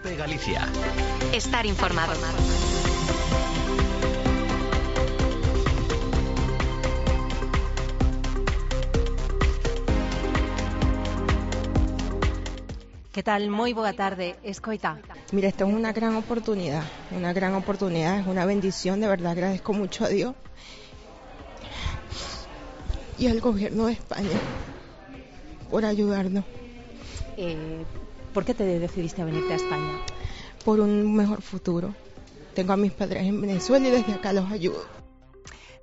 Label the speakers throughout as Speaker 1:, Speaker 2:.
Speaker 1: COPE Galicia.
Speaker 2: Estar informado.
Speaker 3: Que tal? Moi boa tarde, escoita.
Speaker 4: Mira, esto es una gran oportunidad, es una bendición, de verdad agradezco mucho a Dios y al gobierno de España por ayudarnos.
Speaker 3: ¿Por qué te decidiste a venirte a España?
Speaker 4: Por un mejor futuro. Tengo a mis padres en Venezuela y desde acá los ayudo.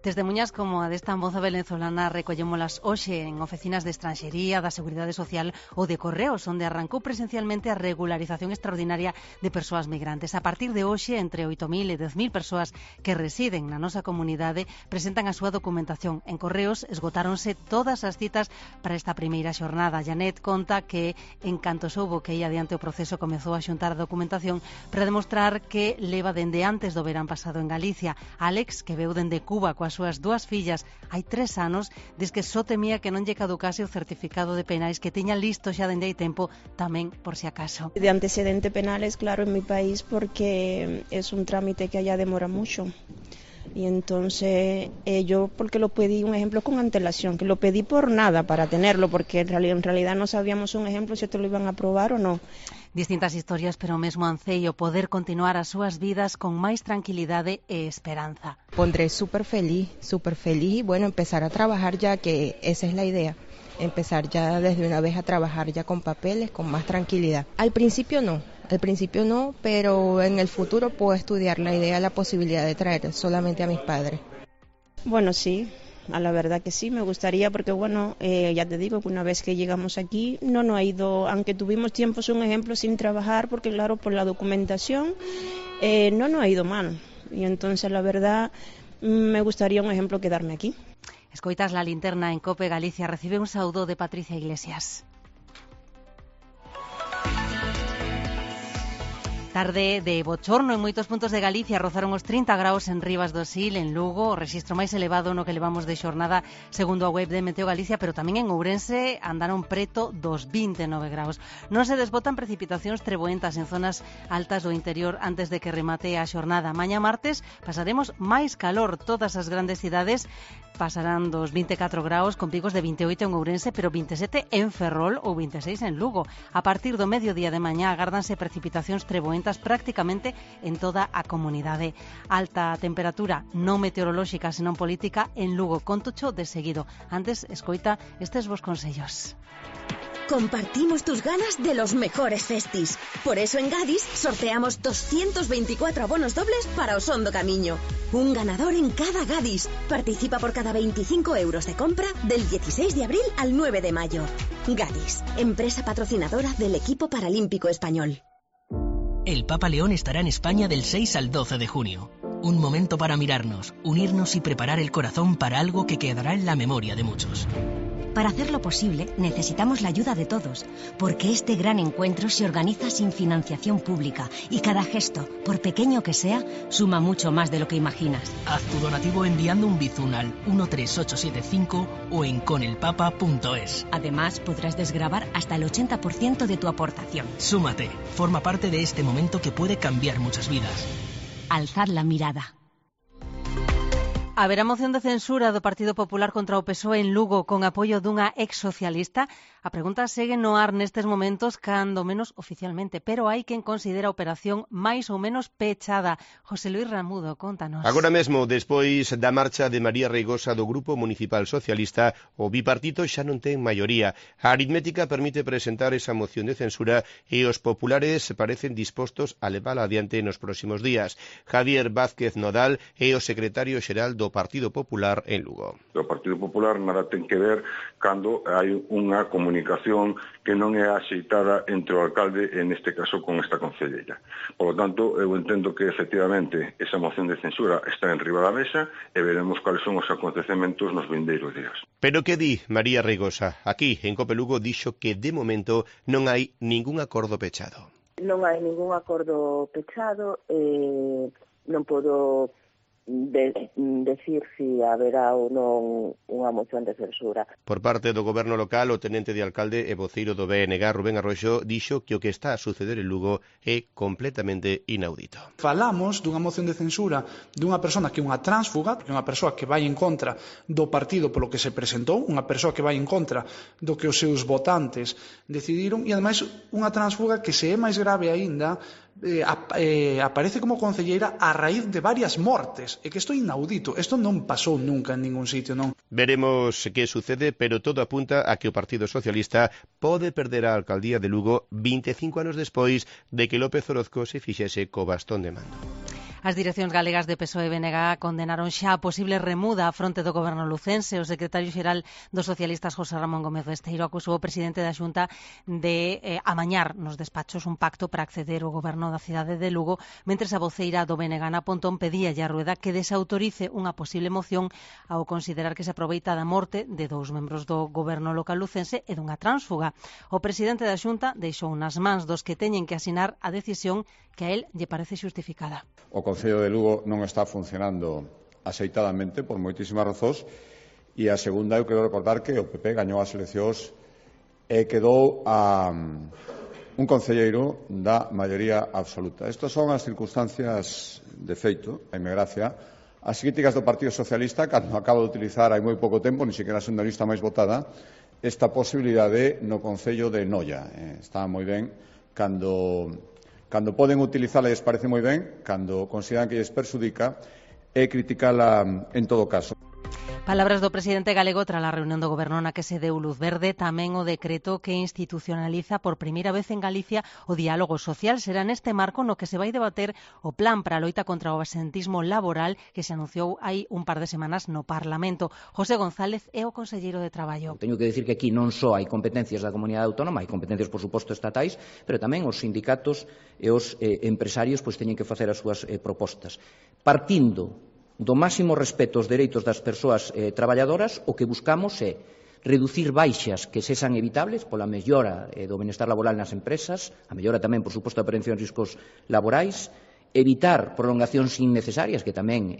Speaker 3: Testemuñas como a desta moza venezolana recollémolas hoxe en oficinas de estranxería, da Seguridade Social ou de Correos, onde arrancou presencialmente a regularización extraordinaria de persoas migrantes. A partir de hoxe, entre 8.000 e 10.000 persoas que residen na nosa comunidade presentan a súa documentación. En Correos esgotáronse todas as citas para esta primeira xornada. Janet conta que, en canto soubo que ia adiante o proceso, comezou a xuntar a documentación para demostrar que leva dende antes do verán pasado en Galicia. Alex, que veu dende Cuba coas súas dúas fillas hai 3 anos, diz que só temía que non lle caducase o certificado de penais que tiña listo xa dende hai tempo, tamén por si acaso.
Speaker 5: De antecedentes penales, claro, en mi país, porque es un trámite que allá demora mucho. Y entonces yo, porque lo pedí, un ejemplo, con antelación, que lo pedí por nada para tenerlo, porque en realidad no sabíamos un ejemplo si te lo iban a aprobar o no.
Speaker 3: Distintas historias, pero o mesmo anceio poder continuar as súas vidas con máis tranquilidade e esperanza.
Speaker 4: Pondré súper feliz y bueno, empezar a trabajar ya, que esa es la idea. Empezar ya desde una vez a trabajar ya con papeles, con más tranquilidad. Al principio no, pero en el futuro puedo estudiar la idea, la posibilidad de traer solamente a mis padres.
Speaker 5: Bueno, sí, a la verdad que sí, me gustaría, porque bueno, ya te digo que una vez que llegamos aquí no ha ido, aunque tuvimos tiempos, un ejemplo, sin trabajar, porque claro, por la documentación no ha ido mal. Y entonces la verdad me gustaría, un ejemplo, quedarme aquí.
Speaker 3: Escoitas La Linterna en COPE Galicia. Recibe un saúdo de Patricia Iglesias. Tarde de bochorno en moitos puntos de Galicia. Rozaron os 30 graus en Rivas do Sil, en Lugo, o rexistro máis elevado no que levamos de xornada segundo a web de Meteo Galicia, pero tamén en Ourense andaron preto dos 29 graus. Non se desbotan precipitacións treboentas en zonas altas do interior antes de que remate a xornada. Mañá martes pasaremos máis calor. Todas as grandes cidades pasarán dos 24 graus, con picos de 28 en Ourense, pero 27 en Ferrol ou 26 en Lugo. A partir do mediodía de mañá agárdanse precipitacións treboentas prácticamente en toda a comunidade. Alta temperatura non meteorolóxica, senón política en Lugo. Contocho de seguido. Antes, escoita estes vos consellos.
Speaker 6: Compartimos tus ganas de los mejores festis. Por eso en Gadis sorteamos 224 abonos dobles para Osondo Camiño. Un ganador en cada Gadis. Participa por cada 25 euros de compra del 16 de abril al 9 de mayo. Gadis, empresa patrocinadora del equipo paralímpico español.
Speaker 7: El Papa León estará en España del 6 al 12 de junio. Un momento para mirarnos, unirnos y preparar el corazón para algo que quedará en la memoria de muchos.
Speaker 8: Para hacerlo posible, necesitamos la ayuda de todos, porque este gran encuentro se organiza sin financiación pública y cada gesto, por pequeño que sea, suma mucho más de lo que imaginas.
Speaker 7: Haz tu donativo enviando un bizun al 13875 o en conelpapa.es.
Speaker 8: Además, podrás desgravar hasta el 80% de tu aportación.
Speaker 7: Súmate, forma parte de este momento que puede cambiar muchas vidas.
Speaker 8: Alzad la mirada.
Speaker 3: Haberá moción de censura do Partido Popular contra o PSOE en Lugo con apoio dunha ex-socialista. A pregunta segue no ar nestes momentos, cando menos oficialmente, pero hai quen considera a operación máis ou menos pechada. José Luis Ramudo, contanos.
Speaker 9: Agora mesmo, despois da marcha de María Reigosa do Grupo Municipal Socialista, o bipartito xa non ten maioría. A aritmética permite presentar esa moción de censura e os populares parecen dispostos a levala adiante nos próximos días. Javier Vázquez Nodal é o secretario xeral do Partido Popular en Lugo.
Speaker 10: O Partido Popular nada ten que ver cando hai unha comunicación que non é axeitada entre o alcalde, en este caso con esta concelleira. Por lo tanto, eu entendo que efectivamente esa moción de censura está en riba da mesa e veremos cuáles son os acontecementos nos vindeiros días.
Speaker 9: Pero que di María Reigosa? Aquí, en Cope Lugo, dixo que de momento non hai ningún acordo pechado.
Speaker 11: Non hai ningún acordo pechado, non podo
Speaker 1: decir si haberá ou non unha moción de censura.
Speaker 9: Por parte do goberno local, o tenente de alcalde e voceiro do BNG, Rubén Arroxo, dixo que o que está a suceder en Lugo é completamente inaudito.
Speaker 2: Falamos dunha moción de censura dunha persona que é unha tránsfuga, que é unha persoa que vai en contra do partido polo que se presentou, unha persoa que vai en contra do que os seus votantes decidiron, e ademais unha tránsfuga que, se é máis grave aínda, aparece como concelleira a raíz de varias mortes, e que isto é inaudito, isto non pasou nunca en ningún sitio, non?
Speaker 9: Veremos que sucede, pero todo apunta a que o Partido Socialista pode perder a alcaldía de Lugo 25 anos despois de que López Orozco se fixese co bastón de mando.
Speaker 3: As direccións galegas de PSOE e BNG condenaron xa a posible remuda a fronte do goberno lucense. O secretario xeral dos socialistas, José Ramón Gómez Besteiro, acusou o presidente da Xunta de amañar nos despachos un pacto para acceder ao goberno da cidade de Lugo, mentres a voceira do BNG, Ana Pontón, pedía a Rueda que desautorice unha posible moción ao considerar que se aproveita da morte de dous membros do goberno local lucense e dunha tránsfuga. O presidente da Xunta deixou nas mans dos que teñen que asinar a decisión que a él lle parece xustificada.
Speaker 11: O Concello de Lugo non está funcionando axeitadamente por moitísimas razóns, e a segunda, eu quero recordar que o PP gañou as eleccións e quedou a un concelleiro da maioría absoluta. Estas son as circunstancias de feito, haime gracia. As críticas do Partido Socialista, cando acaba de utilizar hai moi pouco tempo, ni sequera sendo a lista máis votada, esta posibilidade no Concello de Noia. Está moi ben cando poden utilizala lles parece moi ben, cando consideran que lles perxudica, e criticala en todo caso.
Speaker 3: Palabras do presidente galego tras a reunión do goberno na que se deu luz verde, tamén o decreto que institucionaliza por primeira vez en Galicia o diálogo social. Será neste marco no que se vai debater o plan para a loita contra o absentismo laboral que se anunciou hai un par de semanas no Parlamento. José González é o conselleiro de Traballo.
Speaker 12: Teño que decir que aquí non só hai competencias da comunidade autónoma, hai competencias, por suposto, estatais, pero tamén os sindicatos e os empresarios teñen que facer as súas propostas. Partindo do máximo respeto aos dereitos das persoas traballadoras, o que buscamos é reducir baixas que sexan evitables pola mellora do benestar laboral nas empresas, a mellora tamén, por suposto, da prevención de riscos laborais, evitar prolongacións innecesarias que tamén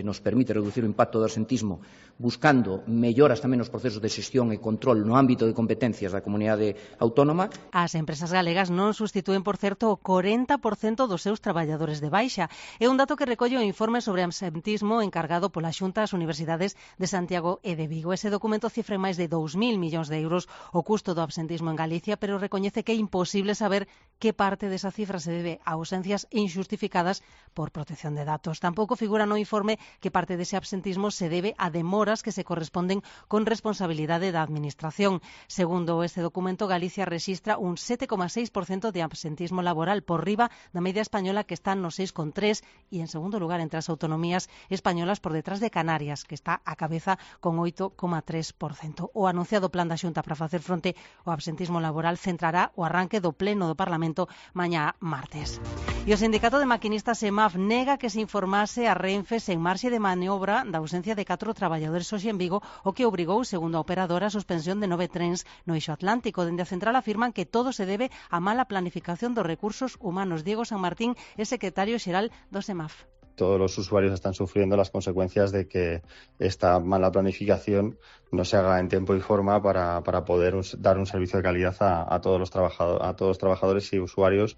Speaker 12: nos permite reducir o impacto do absentismo, buscando melloras tamén nos procesos de xestión e control no ámbito de competencias da comunidade autónoma.
Speaker 3: As empresas galegas non sustitúen, por certo, o 40% dos seus traballadores de baixa. É un dato que recolle o informe sobre absentismo encargado pola Xunta ás Universidades de Santiago e de Vigo. Ese documento cifra máis de 2.000 millóns de euros o custo do absentismo en Galicia, pero recoñece que é imposible saber que parte desa cifra se debe a ausencias injustificadas por protección de datos. Tampouco figura no informe que parte dese absentismo se debe a demoras que se corresponden con responsabilidade da Administración. Segundo este documento, Galicia rexistra un 7,6% de absentismo laboral, por riba da media española, que está no 6,3%, e en segundo lugar entre as autonomías españolas, por detrás de Canarias, que está a cabeza con 8,3%. O anunciado plan da Xunta para facer fronte ao absentismo laboral centrará o arranque do pleno do Parlamento mañá martes. E o sindicato de maquinistas EMAF nega que se informase a Renfe sen marxe de maniobra da ausencia de 4 traballadores hoxe en Vigo, o que obrigou, segundo a operadora, a suspensión de 9 trens no eixo atlántico. Dende a central afirman que todo se debe á mala planificación dos recursos humanos. Diego San Martín é secretario xeral do EMAF.
Speaker 13: Todos los usuarios están sufriendo las consecuencias de que esta mala planificación no se haga en tiempo y forma para poder dar un servicio de calidad a todos los trabajadores y usuarios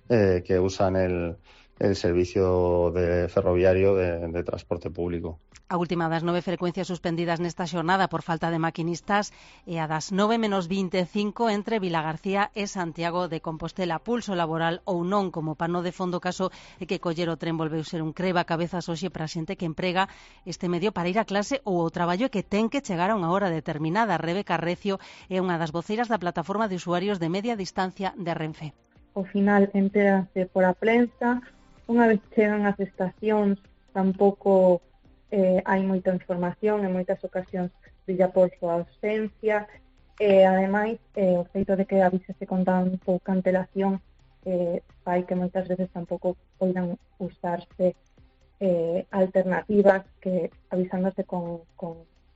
Speaker 13: que usan el servicio ferroviario de transporte público.
Speaker 3: A última das 9 frecuencias suspendidas nesta xornada por falta de maquinistas e a das 9:25 entre Vilagarcía e Santiago de Compostela. Pulso laboral ou non, como pano de fondo, caso é que coller o tren volveu ser un creba cabezas hoxe para a xente que emprega este medio para ir a clase ou ao traballo, que ten que chegar a unha hora determinada. Rebeca Recio é unha das voceiras da plataforma de usuarios de media distancia de Renfe.
Speaker 14: Ao final enterase por a prensa, unha vez chegan as estacións tampouco hai moita información, en moitas ocasións brilla por súa ausencia, e ademais o feito de que avísese con tan pouca antelación fai que moitas veces tampouco poidan usarse alternativas que avisándose con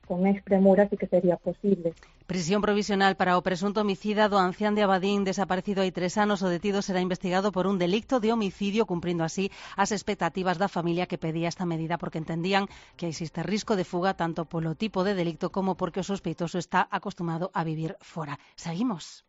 Speaker 14: con expremura sí que sería posible.
Speaker 3: Prisión provisional para o presunto homicida do ancián de Abadín desaparecido hai 3 anos. O detido será investigado por un delicto de homicidio, cumprindo así as expectativas da familia que pedía esta medida porque entendían que existe risco de fuga tanto polo tipo de delicto como porque o sospeitoso está acostumado a vivir fora. Seguimos.